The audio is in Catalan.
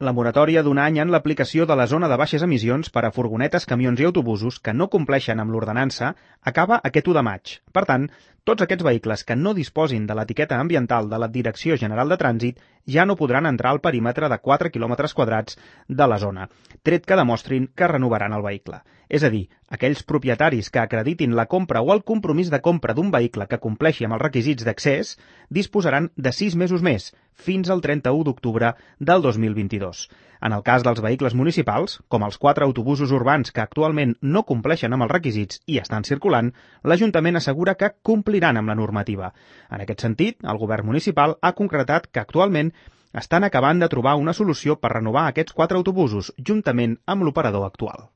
La moratòria d'un any en l'aplicació de la zona de baixes emissions per a furgonetes, camions i autobusos que no compleixen amb l'ordenança acaba aquest 1 de maig. Per tant, tots aquests vehicles que no disposin de l'etiqueta ambiental de la Direcció General de Trànsit ja no podran entrar al perímetre de 4 quilòmetres quadrats de la zona, tret que demostrin que renovaran el vehicle. És a dir, aquells propietaris que acreditin la compra o el compromís de compra d'un vehicle que compleixi amb els requisits d'accés disposaran de 6 mesos més, fins al 31 d'octubre del 2022. En el cas dels vehicles municipals, com els 4 autobusos urbans que actualment no compleixen amb els requisits i estan circulant, l'Ajuntament assegura que compliran amb la normativa. En aquest sentit, el govern municipal ha concretat que actualment estan acabant de trobar una solució per renovar aquests 4 autobusos, juntament amb l'operador actual.